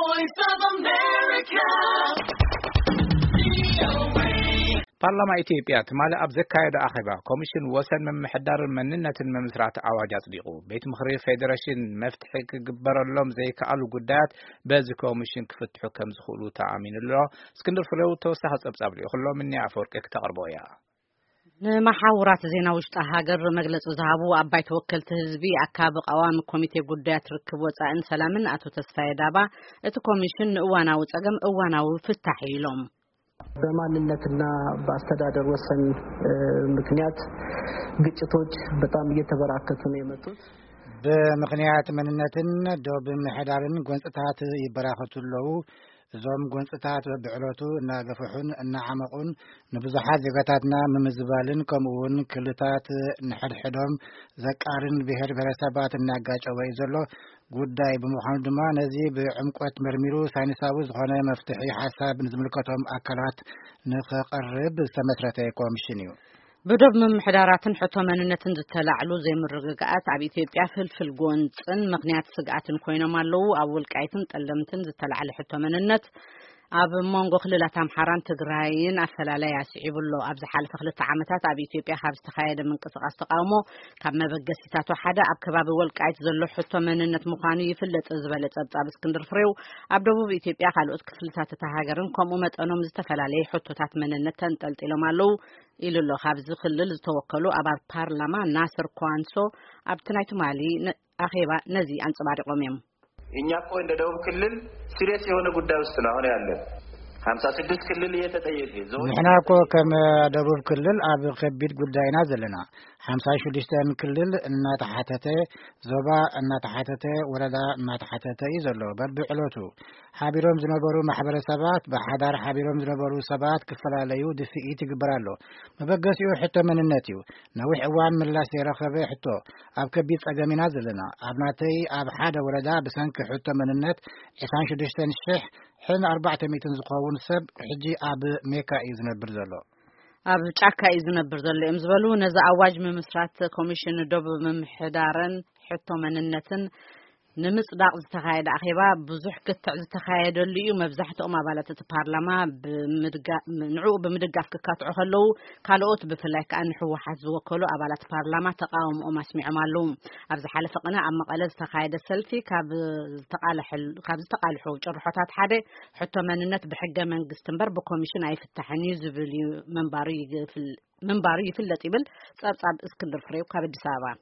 Voice of America. ፓርላማ ኢትዮጵያ ትማሊ ኣብ ዘካየደ ኣኼባ ኮሚሽን ወሰን ምምሕዳርን መንነትን ምምስራት ኣዋጅ ኣጽዲቑ። ቤት ምኽሪ ፌዴሬሽን መፍትሒ ክግበረሎም ዘይከኣሉ ጉዳያት በዚ ኮሚሽን ክፍትሑ ከም ዝኽእሉ ተኣሚኑ ኣሎ። እስክንድር ፍሬው ተወሳኺ ጸብጻብ ልኢኹ ኣሎ። ምኒ ኣፈወርቂ ክተቕርቦ እያ። ንመሓውራት ዜና ውሽጢ ሃገር መግለጺ ዝሃቡ ኣባይ ተወከልቲ ህዝቢ ኣካቢ ቀዋሚ ኮሚቴ ጉዳያት ርክብ ወጻእን ሰላምን ኣቶ ተስፋዬ ዳባ፣ እቲ ኮሚሽን ንእዋናዊ ጸገም እዋናዊ ፍታሕ እዩ ኢሎም። በማንነትና በአስተዳደር ወሰን ምክንያት ግጭቶች በጣም እየተበራከቱ ነው የመጡት። ብምኽንያት መንነትን ዶብ ምሕዳርን ጎንፅታት ይበራኸቱ ኣለዉ። እዞም ጎንፅታት በብዕለቱ እናገፍሑን እናዓመቑን ንብዙሓት ዜጋታትና ምምዝባልን ከምኡ እውን ክልታት ንሕድሕዶም ዘቃርን ብሄር ብሄረሰባት እናጋጨወ እዩ ዘሎ ጉዳይ ብምዃኑ ድማ ነዚ ብዕምቆት መርሚሩ ሳይንሳዊ ዝኾነ መፍትሒ ሓሳብ ንዝምልከቶም ኣካላት ንኸቐርብ ዝተመስረተ ኮሚሽን እዩ። ብዶብ ምምሕዳራትን ሕቶ መንነትን ዝተላዕሉ ዘይምርግጋኣት ኣብ ኢትዮጵያ ፍልፍል ጎንፅን ምኽንያት ስግኣትን ኮይኖም ኣለዉ። ኣብ ወልቃይትን ጠለምትን ዝተላዕለ ሕቶ መንነት ኣብ መንጎ ክልላት ኣምሓራን ትግራይን ኣፈላላይ ኣስዒቡ ኣሎ። ኣብ ዝሓለፈ ክልተ ዓመታት ኣብ ኢትዮጵያ ካብ ዝተኻየደ ምንቅስቃስ ተቃውሞ ካብ መበገሲታቱ ሓደ ኣብ ከባቢ ወልቃይት ዘሎ ሕቶ መንነት ምዃኑ ይፍለጥ ዝበለ ጸብጻብ እስክንድር ፍሬው፣ ኣብ ደቡብ ኢትዮጵያ ካልኦት ክፍልታት እታ ሃገርን ከምኡ መጠኖም ዝተፈላለየ ሕቶታት መንነት ተንጠልጢሎም ኣለዉ ኢሉ ኣሎ። ካብዚ ክልል ዝተወከሉ ኣባል ፓርላማ ናስር ኳንሶ ኣብቲ ናይ ትማሊ ኣኼባ ነዚ ኣንጸባሪቖም እዮም። እኛ እኮ እንደ ደቡብ ክልል ሲሪየስ የሆነ ጉዳይ ውስጥ ነው አሁን ያለን። ሀምሳ ስድስት ክልል እየተጠየቀ ዞን ንሕና እኮ ከም ደቡብ ክልል ኣብ ከቢድ ጉዳይና ዘለና ሓምሳ ሽዱሽተን ክልል እናተሓተተ ዞባ እናተሓተተ ወረዳ እናተሓተተ እዩ ዘሎ በብዕለቱ ሓቢሮም ዝነበሩ ማሕበረሰባት ብሓዳር ሓቢሮም ዝነበሩ ሰባት ክፈላለዩ ድፍኢት ይግበር ኣሎ። መበገሲኡ ሕቶ መንነት እዩ። ነዊሕ እዋን ምላሽ ዘይረኸበ ሕቶ ኣብ ከቢድ ጸገም ኢና ዘለና። ኣብ ናተይ ኣብ ሓደ ወረዳ ብሰንኪ ሕቶ መንነት ዕስራን ሽዱሽተን ሽሕ ሕን ኣርባዕተ ሚእትን ዝኸውን ሰብ ሕጂ ኣብ ሜካ እዩ ዝነብር ዘሎ። ኣብ ጫካ እዩ ዝነብር ዘሎ እዮም ዝበሉ ነዚ ኣዋጅ ምምስራት ኮሚሽን ዶብ ምምሕዳርን ሕቶ መንነትን ንምጽዳቕ ዝተኻየደ ኣኼባ ብዙሕ ክትዕ ዝተኻየደሉ እዩ። መብዛሕትኦም ኣባላት እቲ ፓርላማ ንዕኡ ብምድጋፍ ክካትዑ ከለዉ፣ ካልኦት ብፍላይ ከኣ ንህወሓት ዝወከሉ ኣባላት ፓርላማ ተቓውሞኦም ኣስሚዖም ኣለዉ። ኣብ ዝሓለፈ ቅነ ኣብ መቐለ ዝተኻየደ ሰልፊ ካብ ዝተቓልሑ ጭርሖታት ሓደ ሕቶ መንነት ብሕገ መንግስቲ እምበር ብኮሚሽን ኣይፍታሕን እዩ ዝብል እዩ ምንባሩ ይፍለጥ ይብል ጸብጻብ እስክንድር ፍሬው ካብ ኣዲስ ኣበባ።